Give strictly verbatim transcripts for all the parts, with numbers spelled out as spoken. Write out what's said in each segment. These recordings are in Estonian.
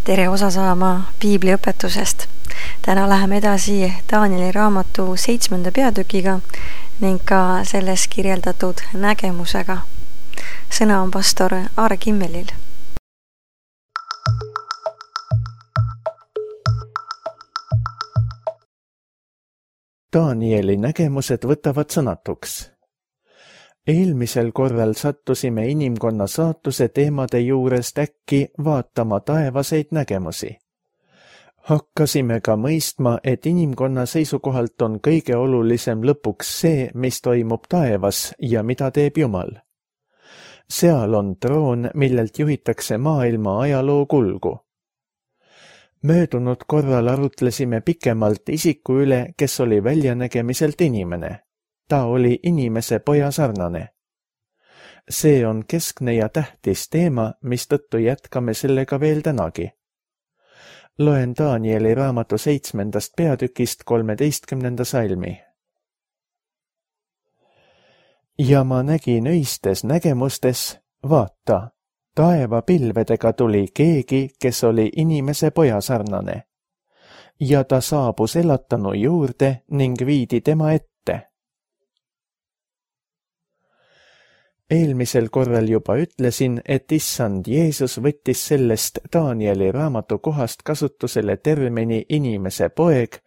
tere osa saama piibliõpetusest. Täna läheme edasi Danieli raamatu seitsmenda peatükiga ning ka selles kirjeldatud nägemusega. Sõna on pastor Aare Kimmelil. Danieli nägemused võtavad sõnatuks. Eelmisel korral sattusime inimkonna saatuse teemade juurest äkki vaatama taevaseid nägemusi. Hakkasime ka mõistma, et inimkonna seisukohalt on kõige olulisem lõpuks see, mis toimub taevas ja mida teeb Jumal. Seal on troon, millelt juhitakse maailma ajaloo kulgu. Möödunud korral arutlesime pikemalt isiku üle, kes oli väljanägemiselt inimene. Ta oli inimese poja sarnane. See on keskne ja tähtis teema, mistõttu jätkame sellega veel tänagi. Loen Danieli raamatu seitsmendast peatükist kolmeteistkümnenda salmi. Ja ma nägin öistes nägemustes, vaata, taeva pilvedega tuli keegi, kes oli inimese poja sarnane. Ja ta saabus elatanu juurde ning viidi tema ette. Eelmisel korral juba ütlesin, et issand Jeesus võttis sellest Danieli raamatu kohast kasutusele termini inimese poeg,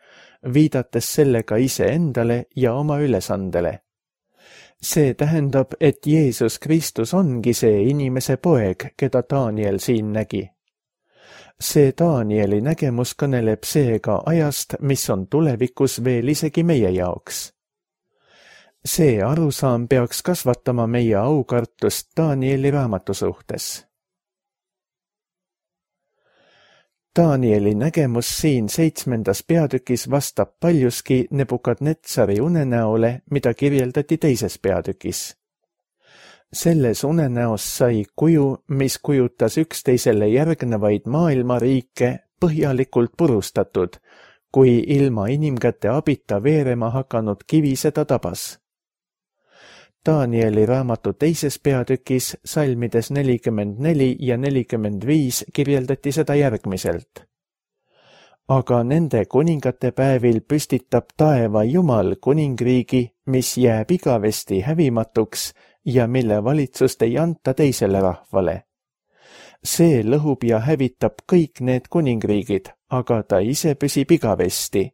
viidates sellega iseendale ja oma ülesandele. See tähendab, et Jeesus Kristus ongi see inimese poeg, keda Daniel siin nägi. See Danieli nägemus kõneleb seega ajast, mis on tulevikus veel isegi meie jaoks. See arusaam peaks kasvatama meie aukartust Danieli raamatu suhtes. Danieli nägemus siin seitsmendas peatükis vastab paljuski Nebukadnetsari unenäole, mida kirjeldati teises peatükis. Selles unenäos sai kuju, mis kujutas üksteisele järgnevaid maailmariike põhjalikult purustatud, kui ilma inimkäte abita veerema hakanud kivi seda tabas. Danieli raamatu teises peatükis salmides nelikümmend neli ja nelikümmend viis kirjeldati seda järgmiselt. Aga nende kuningate päevil püstitab taeva Jumal kuningriigi, mis jääb igavesti hävimatuks ja mille valitsust ei anta teisele rahvale. See lõhub ja hävitab kõik need kuningriigid, aga ta ise püsib igavesti.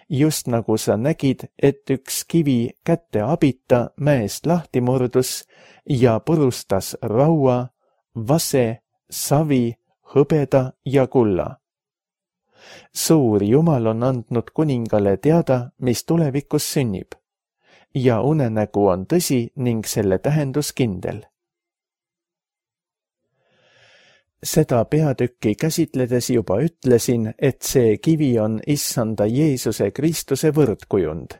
Just nagu sa nägid, et üks kivi kätte abita mäest lahti murdus ja purustas raua, vase, savi, hõbeda ja kulla. Suur Jumal on andnud kuningale teada, mis tulevikus sünnib. Ja unenägu on tõsi ning selle tähendus kindel. Seda peatükki käsitledes juba ütlesin, et see kivi on issanda Jeesuse Kristuse võrdkujund.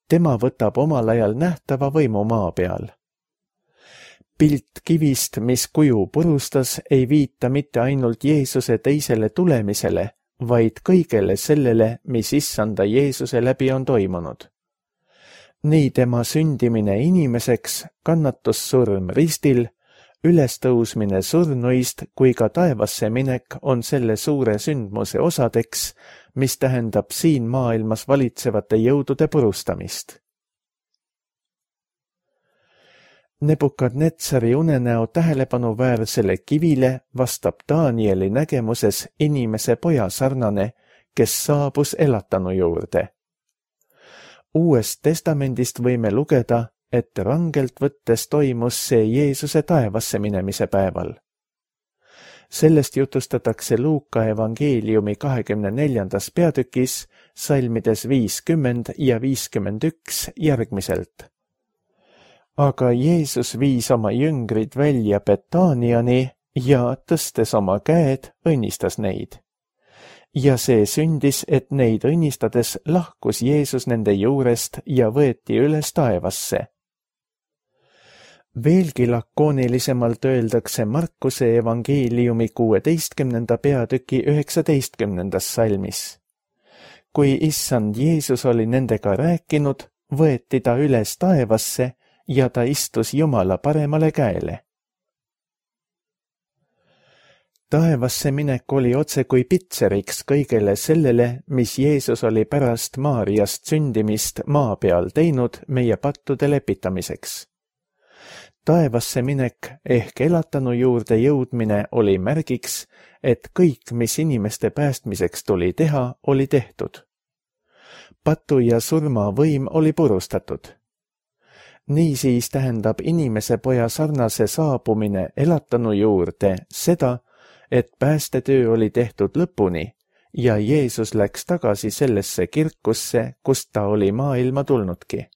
Tema võtab omal ajal nähtava võimu maa peal. Pilt kivist, mis kuju purustas, ei viita mitte ainult Jeesuse teisele tulemisele, vaid kõigele sellele, mis issanda Jeesuse läbi on toimunud. Nii tema sündimine inimeseks, kannatussurm ristil, ülestõusmine surnuist kui ka taevasse minek on selle suure sündmuse osadeks, mis tähendab siin maailmas valitsevate jõudude purustamist. Nebukadnetsari unenäo tähelepanuväärsele kivile vastab Danieli nägemuses inimese poja sarnane, kes saabus elatanu juurde. Uuest testamendist võime lugeda, et rangelt võttes toimus see Jeesuse taevasse minemise päeval. Sellest jutustatakse Luuka evangeeliumi kahekümne neljandas peatükis, salmides viiskümmend ja viiskümmend üks järgmiselt. Aga Jeesus viis oma jüngrid välja Betaniani ja tõstes oma käed, õnnistas neid. Ja see sündis, et neid õnnistades lahkus Jeesus nende juurest ja võeti üles taevasse. Veelgi lakoonilisemalt öeldakse Markuse evangeeliumi kuueteistkümnenda peatüki üheksateistkümnendas salmis. Kui issand Jeesus oli nendega rääkinud, võeti ta üles taevasse ja ta istus Jumala paremale käele. taevasse minek oli otse kui pitseriks kõigele sellele, mis Jeesus oli pärast Maariast sündimist maa peal teinud meie pattude lepitamiseks. Taevasse minek ehk elatanu juurde jõudmine oli märgiks, et kõik, mis inimeste päästmiseks tuli teha, oli tehtud. Patu ja surma võim oli purustatud. Niisiis tähendab inimese poja sarnase saabumine elatanu juurde seda, et päästetöö oli tehtud lõpuni ja Jeesus läks tagasi sellesse kirkusse, kust ta oli maailma tulnudki.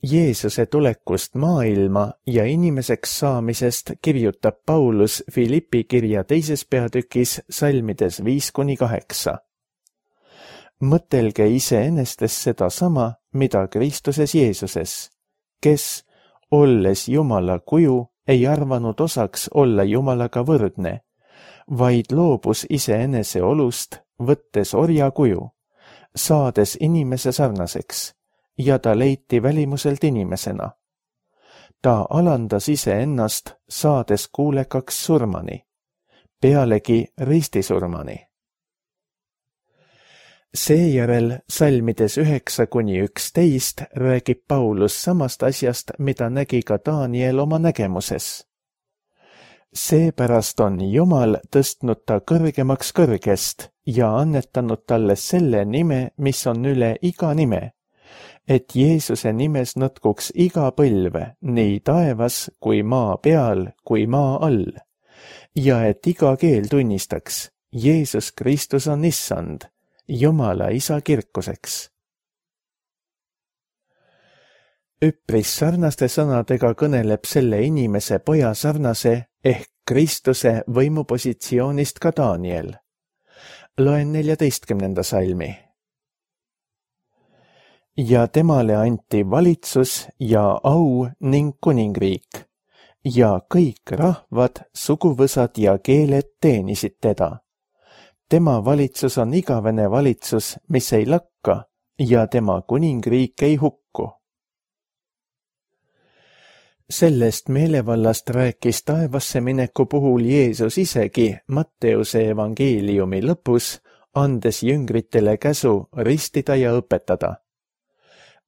Jeesuse tulekust maailma ja inimeseks saamisest kirjutab Paulus Filippi kirja teises peatükis salmides viis kuni kaheksa. Mõtelge iseenestes seda sama, mida Kristuses Jeesuses, kes, olles Jumala kuju, ei arvanud osaks olla Jumalaga võrdne, vaid loobus iseenese olust, võttes orja kuju, saades inimese sarnaseks, ja ta leiti välimuselt inimesena. Ta alandas iseennast, saades kuulekaks surmani, pealegi ristisurmani. Seejärel salmides üheksa kuni üksteist räägib Paulus samast asjast, mida nägi ka Daniel oma nägemuses. Seepärast on Jumal tõstnud ta kõrgemaks kõrgest ja annetanud talle selle nime, mis on üle iga nime, et Jeesuse nimes nõtkuks iga põlve, nii taevas kui maa peal kui maa all, ja et iga keel tunnistaks, Jeesus Kristus on issand, Jumala isa kirkuseks. Üpris sarnaste sõnadega kõneleb selle inimese poja sarnase ehk Kristuse võimupositsioonist ka Daniel. Loen neljateistkümnenda salmi. Ja temale anti valitsus ja au ning kuningriik, ja kõik rahvad, suguvõsad ja keeled teenisid teda. Tema valitsus on igavene valitsus, mis ei lakka, ja tema kuningriik ei hukku. Sellest meelevallast rääkis taevasse mineku puhul Jeesus isegi Matteuse evangeeliumi lõpus, andes jüngritele käsu ristida ja õpetada.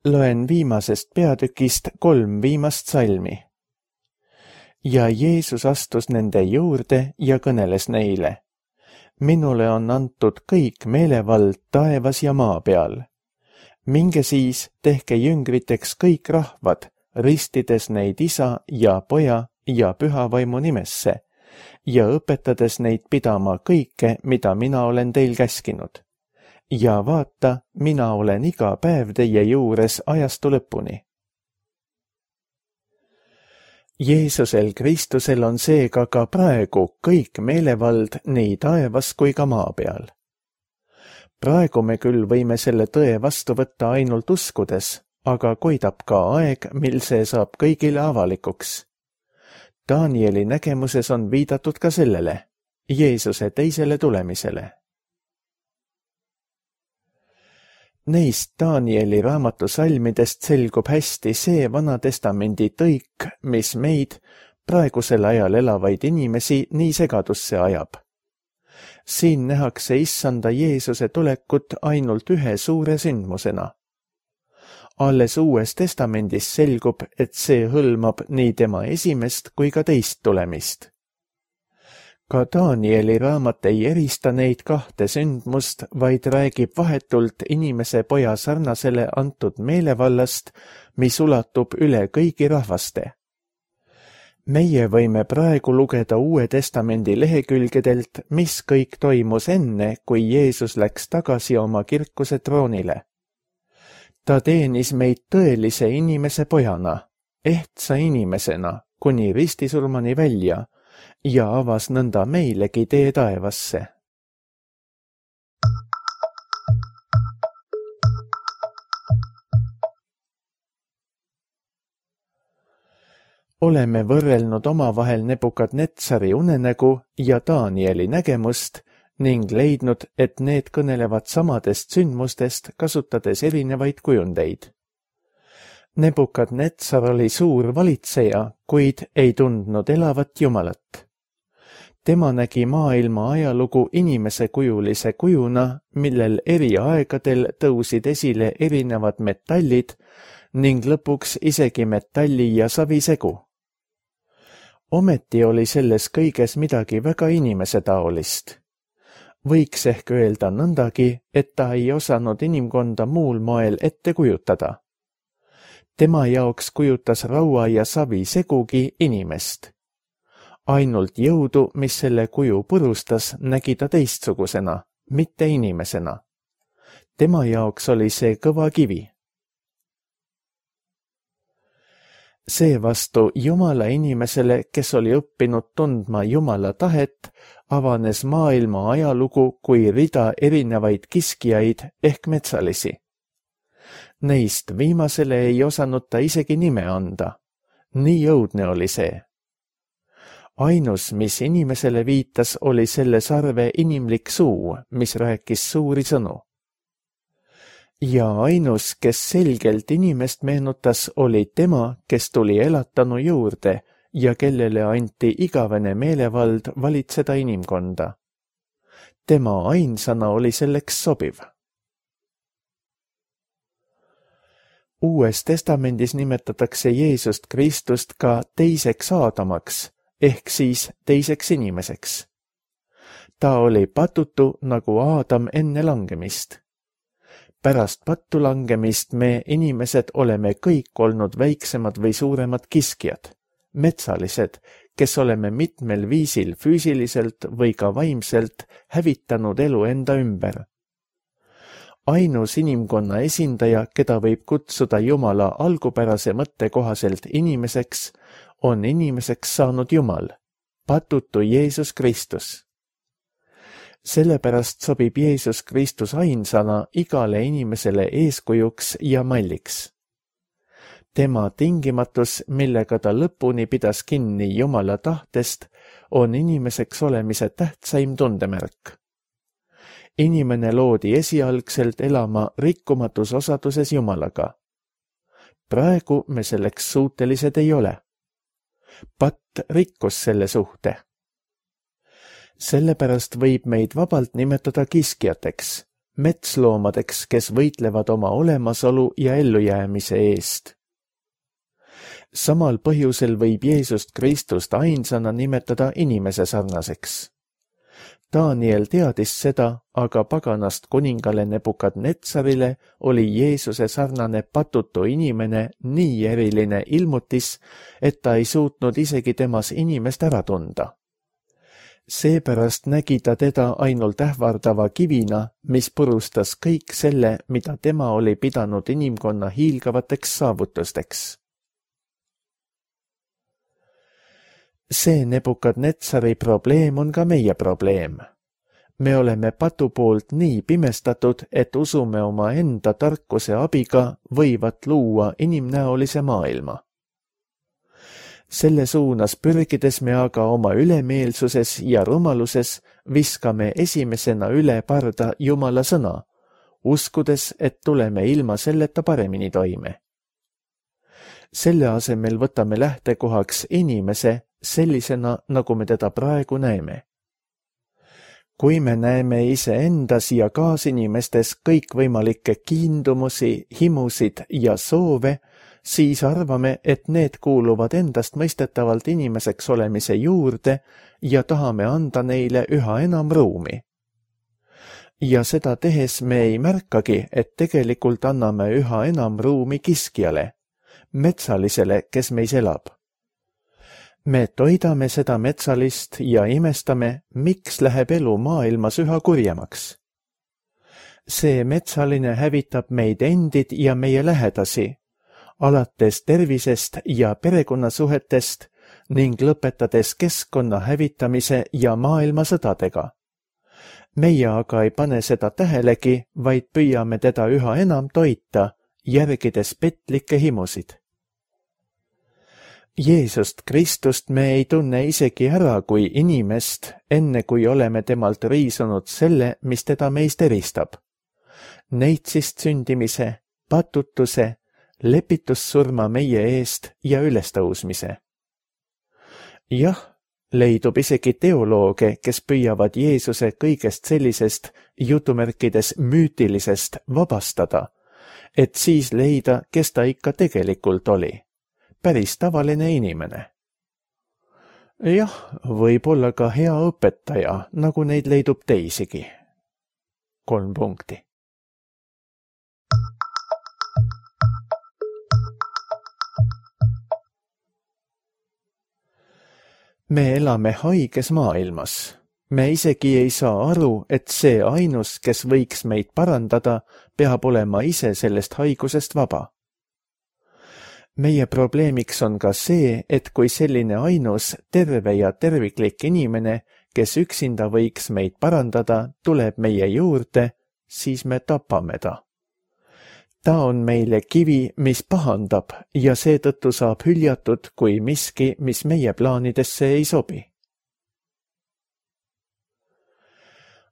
Loen viimasest peatükist kolm viimast salmi. Ja Jeesus astus nende juurde ja kõneles neile. Minule on antud kõik meelevald taevas ja maa peal. Minge siis, tehke jüngriteks kõik rahvad, ristides neid isa ja poja ja pühavaimu nimesse ja õpetades neid pidama kõike, mida mina olen teil käskinud. Ja vaata, mina olen iga päev teie juures ajastu lõpuni. Jeesusel Kristusel on seega ka praegu kõik meelevald nii taevas kui ka maa peal. Praegu me küll võime selle tõe vastu võtta ainult uskudes, aga koidab ka aeg, mil see saab kõigile avalikuks. Danieli nägemuses on viidatud ka sellele, Jeesuse teisele tulemisele. Neist Danieli raamatu salmidest selgub hästi see Vana Testamendi tõik, mis meid, praegusel ajal elavaid inimesi, nii segadusse ajab. Siin nähakse issanda Jeesuse tulekut ainult ühe suure sündmusena. Alles Uues Testamendis selgub, et see hõlmab nii tema esimest kui ka teist tulemist. Ka Danieli raamat ei erista neid kahte sündmust, vaid räägib vahetult inimese poja sarnasele antud meelevallast, mis ulatub üle kõigi rahvaste. Meie võime praegu lugeda Uue Testamendi lehekülgedelt, mis kõik toimus enne, kui Jeesus läks tagasi oma kirkuse troonile. Ta teenis meid tõelise inimese pojana, ehtsa inimesena, kuni ristisurmani välja, ja avas nõnda meilegi tee taevasse. Oleme võrrelnud omavahel Nebukadnetsari unenägu ja Danieli nägemust ning leidnud, et need kõnelevad samadest sündmustest, kasutades erinevaid kujundeid. Nebukadnetsar oli suur valitseja, kuid ei tundnud elavat Jumalat. Tema nägi maailma ajalugu inimesekujulise kujuna, millel eri aegadel tõusid esile erinevad metallid ning lõpuks isegi metalli ja savisegu. Ometi oli selles kõiges midagi väga inimesetaolist. Võiks ehk öelda nõndagi, et ta ei osanud inimkonda muul moel ette kujutada. Tema jaoks kujutas raua ja savi segugi inimest. Ainult jõudu, mis selle kuju purustas, nägi ta teistsugusena, mitte inimesena. Tema jaoks oli see kõva kivi. Seevastu Jumala inimesele, kes oli õppinud tundma Jumala tahet, avanes maailma ajalugu kui rida erinevaid kiskijaid ehk metsalisi. Neist viimasele ei osanud ta isegi nime anda. Nii õudne oli see. Ainus, mis inimesele viitas, oli selle sarve inimlik suu, mis rääkis suuri sõnu. Ja ainus, kes selgelt inimest meenutas, oli tema, kes tuli elatanu juurde ja kellele anti igavene meelevald valitseda inimkonda. Tema ainsana oli selleks sobiv. Uues testamendis nimetatakse Jeesust Kristust ka teiseks Aadamaks, ehk siis teiseks inimeseks. Ta oli patutu nagu Aadam enne langemist. Pärast pattu langemist me inimesed oleme kõik olnud väiksemad või suuremad kiskjad, metsalised, kes oleme mitmel viisil füüsiliselt või ka vaimselt hävitanud elu enda ümber. Ainus inimkonna esindaja, keda võib kutsuda Jumala algupärase mõtte kohaselt inimeseks, on inimeseks saanud Jumal, patutu Jeesus Kristus. Sellepärast sobib Jeesus Kristus ainsana igale inimesele eeskujuks ja malliks. Tema tingimatus, millega ta lõpuni pidas kinni Jumala tahtest, on inimeseks olemise tähtsaim tundemärk. Inimene loodi esialgselt elama rikkumatus osaduses Jumalaga. Praegu me selleks suutelised ei ole. Patt rikkus selle suhte. Sellepärast võib meid vabalt nimetada kiskjateks, metsloomadeks, kes võitlevad oma olemasolu ja ellujäämise eest. Samal põhjusel võib Jeesust Kristust ainsana nimetada inimese sarnaseks. Daniel teadis seda, aga paganast kuningale Nebukadnetsarile oli Jeesuse sarnane patutu inimene nii eriline ilmutis, et ta ei suutnud isegi temas inimest ära tunda. Seepärast nägi ta teda ainult ähvardava kivina, mis purustas kõik selle, mida tema oli pidanud inimkonna hiilgavateks saavutusteks. See Nebukadnetsari probleem on ka meie probleem. Me oleme patu poolt nii pimestatud, et usume oma enda tarkuse abiga võivat luua inimnäolise maailma. Selle suunas pürgides me aga oma ülemeelsuses ja rumaluses viskame esimesena üle parda Jumala sõna, uskudes, et tuleme ilma selleta paremini toime. Selle asemel võtame lähtekohaks inimese sellisena, nagu me teda praegu näeme. Kui me näeme iseendas ja kaasinimestes kõikvõimalikke kiindumusi, himusid ja soove, siis arvame, et need kuuluvad endast mõistetavalt inimeseks olemise juurde ja tahame anda neile üha enam ruumi. Ja seda tehes me ei märkagi, et tegelikult anname üha enam ruumi kiskjale, metsalisele, kes meis elab. Me toidame seda metsalist ja imestame, miks läheb elu maailmas üha kurjemaks. See metsaline hävitab meid endid ja meie lähedasi, alates tervisest ja perekonnasuhetest ning lõpetades keskkonna hävitamise ja maailmasõdadega. Meie aga ei pane seda tähelegi, vaid püüame teda üha enam toita, järgides petlikke himusid. Jeesust Kristust me ei tunne isegi ära kui inimest, enne kui oleme temalt riisunud selle, mis teda meist eristab. Neitsist sündimise, patutuse, lepitussurma meie eest ja ülestõusmise. Jah, leidub isegi teolooge, kes püüavad Jeesuse kõigest sellisest jutumärkides müütilisest vabastada, et siis leida, kes ta ikka tegelikult oli. Päris tavaline inimene. Jah, võib olla ka hea õpetaja, nagu neid leidub teisigi. Kolm punkti. Me elame haiges maailmas. Me isegi ei saa aru, et see ainus, kes võiks meid parandada, peab olema ise sellest haigusest vaba. Meie probleemiks on ka see, et kui selline ainus, terve ja terviklik inimene, kes üksinda võiks meid parandada, tuleb meie juurde, siis me tapame ta. Ta on meile kivi, mis pahandab ja seetõttu saab hüljatud kui miski, mis meie plaanidesse ei sobi.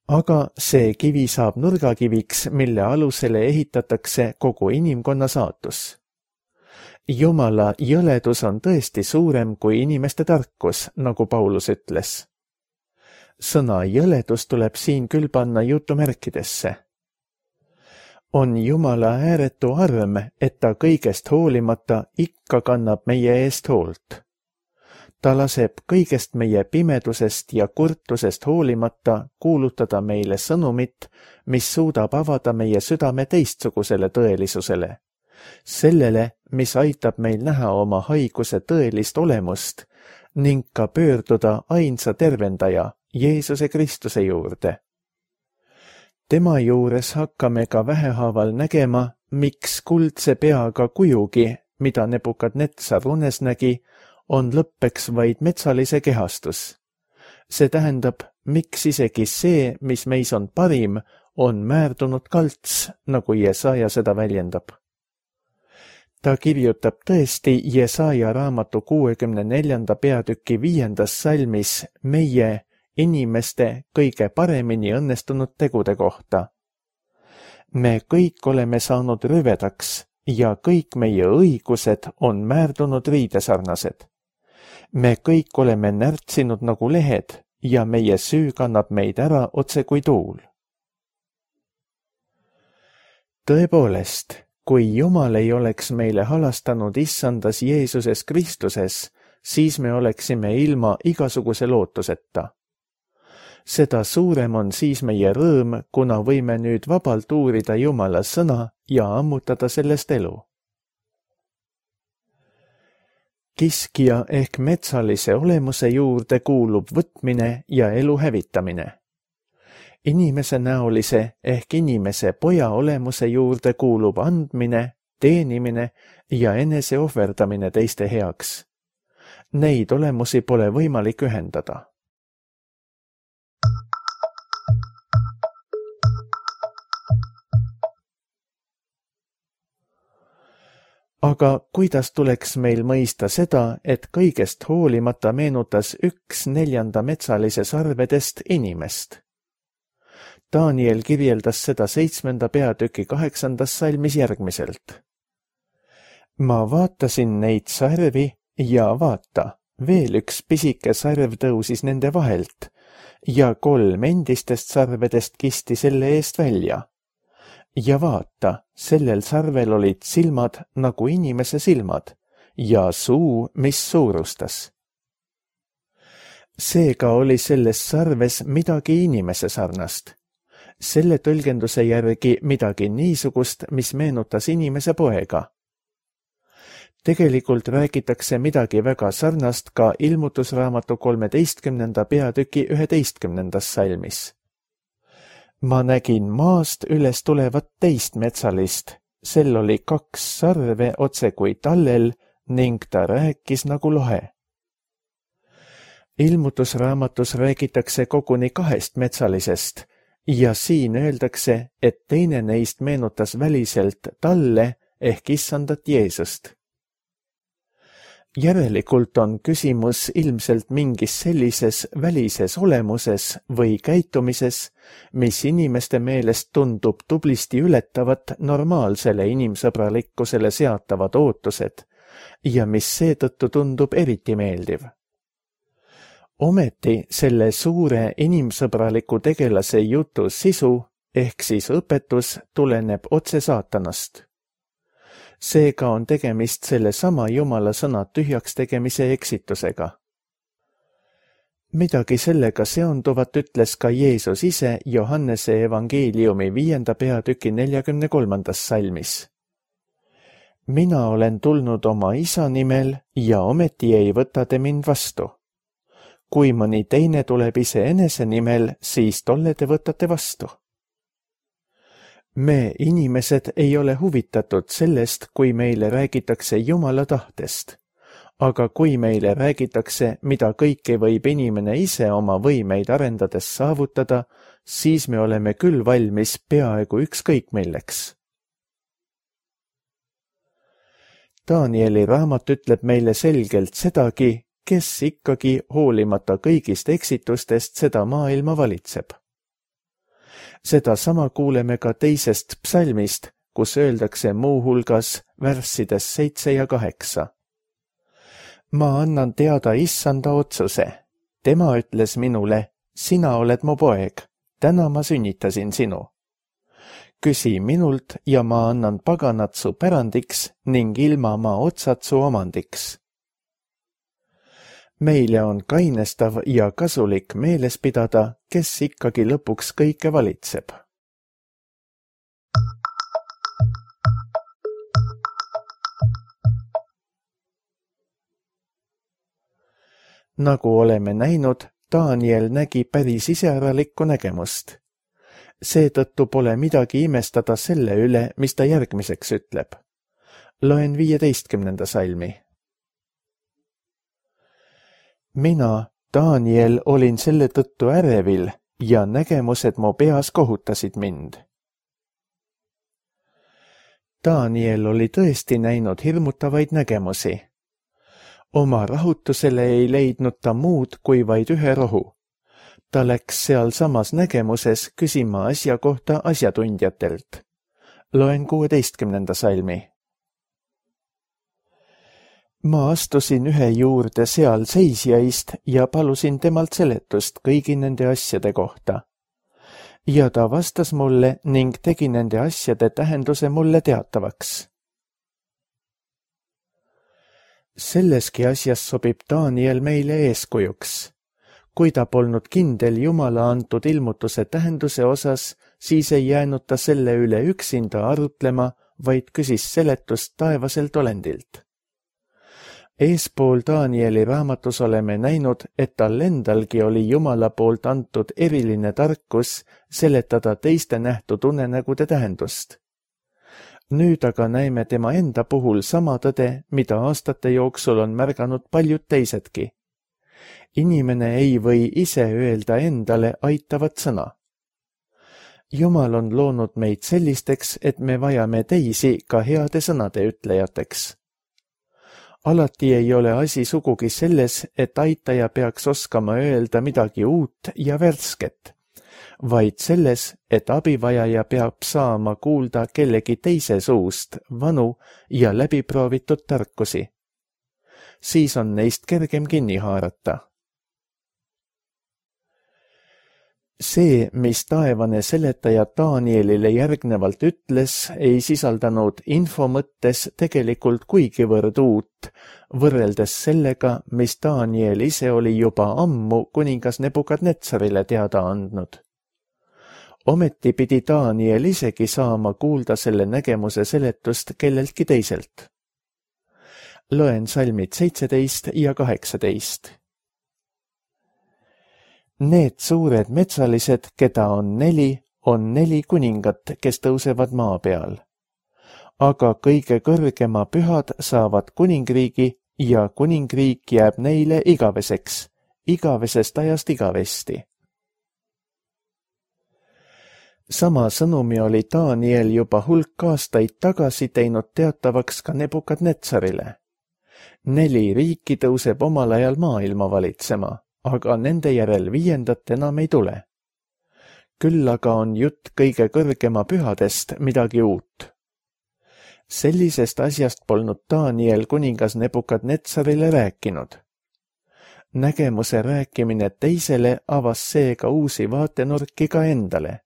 Aga see kivi saab nurgakiviks, mille alusele ehitatakse kogu inimkonna saatus. Jumala jõledus on tõesti suurem kui inimeste tarkus, nagu Paulus ütles. Sõna jõledus tuleb siin küll panna jutumärkidesse. On Jumala ääretu arm, et ta kõigest hoolimata ikka kannab meie eest hoolt. Ta laseb kõigest meie pimedusest ja kurtusest hoolimata kuulutada meile sõnumit, mis suudab avada meie südame teistsugusele tõelisusele. Sellele, mis aitab meil näha oma haiguse tõelist olemust ning ka pöörduda ainsa tervendaja, Jeesuse Kristuse juurde. Tema juures hakkame ka vähehaaval nägema, miks kuldse peaga kujugi, mida Nebukadnetsar unes nägi, on lõppeks vaid metsalise kehastus. See tähendab, miks isegi see, mis meis on parim, on määrdunud kalts, nagu Jesaja seda väljendab. Ta kirjutab tõesti Jesaja raamatu kuuekümne neljanda peatüki viiendas salmis meie inimeste kõige paremini õnnestunud tegude kohta. Me kõik oleme saanud rüvedaks ja kõik meie õigused on määrdunud riidesarnased. Me kõik oleme närtsinud nagu lehed ja meie süü kannab meid ära otse kui tuul. Tõepoolest, kui Jumal ei oleks meile halastanud issandas Jeesuses Kristuses, siis me oleksime ilma igasuguse lootuseta. Seda suurem on siis meie rõõm, kuna võime nüüd vabalt uurida Jumala sõna ja ammutada sellest elu. Kiskja ehk metsalise olemuse juurde kuulub võtmine ja elu hävitamine. Inimese näolise ehk inimese poja olemuse juurde kuulub andmine, teenimine ja enese ohverdamine teiste heaks. Neid olemusi pole võimalik ühendada. Aga kuidas tuleks meil mõista seda, et kõigest hoolimata meenutas üks neljanda metsalise sarvedest inimest? Daniel kirjeldas seda seitsmenda peatüki kaheksandas salmis järgmiselt. Ma vaatasin neid sarvi ja vaata, veel üks pisike sarv tõusis nende vahelt ja kolm endistest sarvedest kisti selle eest välja. Ja vaata, sellel sarvel olid silmad nagu inimese silmad ja suu, mis suurustas. Seega oli selles sarves midagi inimese sarnast. Selle tõlgenduse järgi midagi niisugust, mis meenutas inimese poega. Tegelikult räägitakse midagi väga sarnast ka ilmutusraamatu kolmeteistkümnenda peatüki üheteistkümnendas salmis. Ma nägin maast üles tulevat teist metsalist, sel oli kaks sarve otse kui tallel ning ta rääkis nagu lohe. Ilmutusraamatus räägitakse koguni kahest metsalisest ja siin öeldakse, et teine neist meenutas väliselt talle ehk issandat Jeesust. Järelikult on küsimus ilmselt mingis sellises välises olemuses või käitumises, mis inimeste meelest tundub tublisti ületavat normaalsele inimsõbralikkusele seatavad ootused ja mis seetõttu tundub eriti meeldiv. Ometi selle suure inimsõbraliku tegelase jutu sisu ehk siis õpetus tuleneb otse saatanast. Seega on tegemist selle sama Jumala sõna tühjaks tegemise eksitusega. Midagi sellega seonduvat ütles ka Jeesus ise Johannese evangeeliumi viienda peatüki neljakümne kolmandas salmis. Mina olen tulnud oma isa nimel ja ometi ei võta te mind vastu. Kui mõni teine tuleb iseenese nimel, siis tolle te võtate vastu. Me inimesed ei ole huvitatud sellest, kui meile räägitakse Jumala tahtest, aga kui meile räägitakse, mida kõike võib inimene ise oma võimeid arendades saavutada, siis me oleme küll valmis peaaegu ükskõik milleks. Danieli raamat ütleb meile selgelt sedagi, kes ikkagi hoolimata kõigist eksitustest seda maailma valitseb. Seda sama kuuleme ka teisest psalmist, kus öeldakse muuhulgas värssides seitse ja kaheksa. Ma annan teada issanda otsuse. Tema ütles minule, sina oled mu poeg, täna ma sünnitasin sinu. Küsi minult ja ma annan paganat su pärandiks ning ilma ma otsad su omandiks. Meile on kainestav ja kasulik meeles pidada, kes ikkagi lõpuks kõike valitseb. Nagu oleme näinud, Daniel nägi päris iseäralikku nägemust. Seetõttu pole midagi imestada selle üle, mis ta järgmiseks ütleb. Loen viieteistkümnenda salmi. Mina, Daniel, olin selle tõttu ärevil ja nägemused mu peas kohutasid mind. Daniel oli tõesti näinud hirmutavaid nägemusi. Oma rahutusele ei leidnud ta muud kui vaid ühe rohu. Ta läks seal samas nägemuses küsima asja kohta asjatundjatelt. Loen kuueteistkümnenda salmi. Ma astusin ühe juurde seal seisjaist ja palusin temalt seletust kõigi nende asjade kohta. Ja ta vastas mulle ning tegi nende asjade tähenduse mulle teatavaks. Selleski asjas sobib Daniel meile eeskujuks. Kui ta polnud kindel Jumala antud ilmutuse tähenduse osas, siis ei jäänud ta selle üle üksinda arutlema, vaid küsis seletust taevaselt olendilt. Eespool Danieli raamatus oleme näinud, et tal endalgi oli Jumala poolt antud eriline tarkus seletada teiste nähtud unenägude tähendust. Nüüd aga näeme tema enda puhul sama tõde, mida aastate jooksul on märganud paljud teisedki. Inimene ei või ise öelda endale aitavat sõna. Jumal on loonud meid sellisteks, et me vajame teisi ka heade sõnade ütlejateks. Alati ei ole asi sugugi selles, et aitaja peaks oskama öelda midagi uut ja värsket, vaid selles, et abivajaja peab saama kuulda kellegi teise suust vanu ja läbiproovitud tarkusi. Siis on neist kergem kinni haarata. See, mis taevane seletaja Danielile järgnevalt ütles, ei sisaldanud info mõttes tegelikult kuigivõrd uut, võrreldes sellega, mis Daniel ise oli juba ammu kuningas Nebukadnetsarile teada andnud. Ometi pidi Daniel isegi saama kuulda selle nägemuse seletust kelleltki teiselt. Loen salmid seitseteist ja kaheksateist. Need suured metsalised, keda on neli, on neli kuningat, kes tõusevad maa peal. Aga kõige kõrgema pühad saavad kuningriigi ja kuningriik jääb neile igaveseks, igavesest ajast igavesti. Sama sõnumi oli Daniel juba hulk aastaid tagasi teinud teatavaks ka Nebukadnetsarile. Neli riiki tõuseb omal ajal maailma valitsema, aga nende järel viiendat enam ei tule. Küll aga on jutt kõige kõrgema pühadest midagi uut. Sellisest asjast polnud Daniel kuningas Nebukadnetsarile rääkinud. Nägemuse rääkimine teisele avas seega uusi vaatenurki ka endale.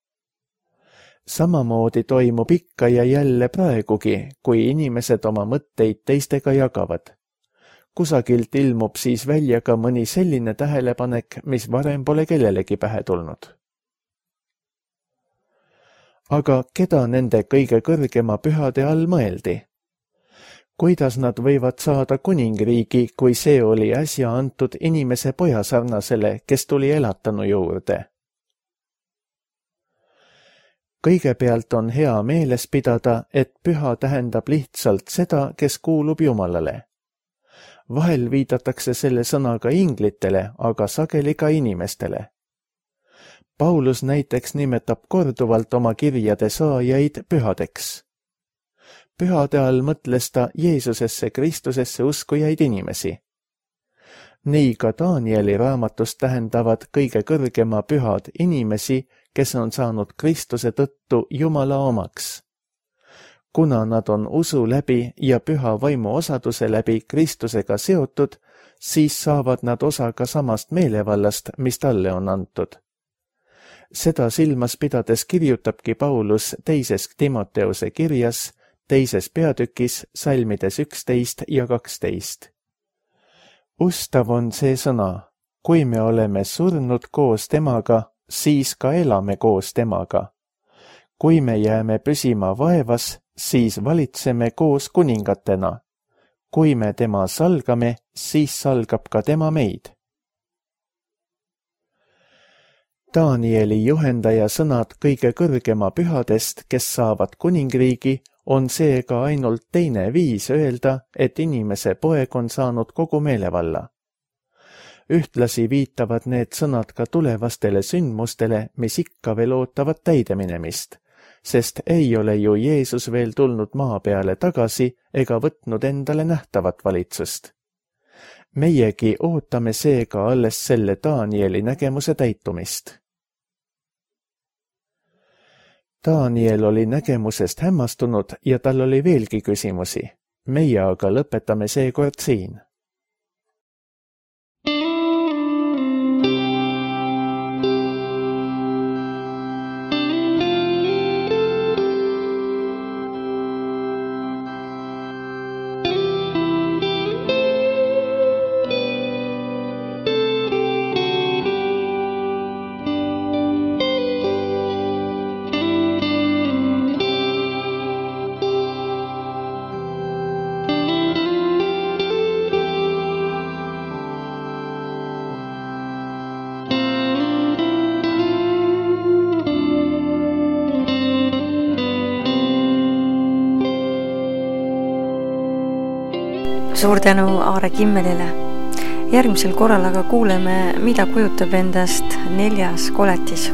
Samamoodi toimub ikka ja jälle praegugi, kui inimesed oma mõtteid teistega jagavad. Kusagilt ilmub siis välja ka mõni selline tähelepanek, mis varem pole kellelegi pähe tulnud. Aga keda nende kõige kõrgema pühade all mõeldi? Kuidas nad võivad saada kuningriigi, kui see oli äsja antud inimese pojasarnasele, kes tuli elatanu juurde? Kõigepealt on hea meeles pidada, et püha tähendab lihtsalt seda, kes kuulub Jumalale. Vahel viidatakse selle sõnaga inglitele, aga sageli ka inimestele. Paulus näiteks nimetab korduvalt oma kirjade saajaid pühadeks. Pühade all mõtles ta Jeesusesse Kristusesse uskujaid inimesi. Nii ka Danieli raamatust tähendavad kõige kõrgema pühad inimesi, kes on saanud Kristuse tõttu Jumala omaks. Kuna nad on usu läbi ja püha vaimu osaduse läbi Kristusega seotud, siis saavad nad osa ka samast meelevallast, mis talle on antud. Seda silmas pidades kirjutabki Paulus teises Timoteuse kirjas, teises peatükis, salmides üksteist ja kaksteist. Ustav on see sõna, kui me oleme surnud koos temaga, siis ka elame koos temaga. Kui me jääme püsima vaevas, siis valitseme koos kuningatena. Kui me tema salgame, siis salgab ka tema meid. Danieli juhendaja sõnad kõige kõrgema pühadest, kes saavad kuningriigi, on seega ainult teine viis öelda, et inimese poeg on saanud kogu meelevalla. Ühtlasi viitavad need sõnad ka tulevastele sündmustele, mis ikka veel ootavad täideminemist, sest ei ole ju Jeesus veel tulnud maa peale tagasi ega võtnud endale nähtavat valitsust. Meiegi ootame seega alles selle Danieli nägemuse täitumist. Daniel oli nägemusest hämmastunud ja tal oli veelgi küsimusi. Meie aga lõpetame seekord siin. Suur tänu Aare Kimmelile. Järgmisel korral aga kuuleme, mida kujutab endast neljas koletis.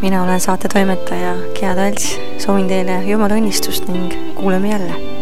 Mina olen saate toimetaja Gea Talts, soovin teile Jumala õnnistust ning kuuleme jälle.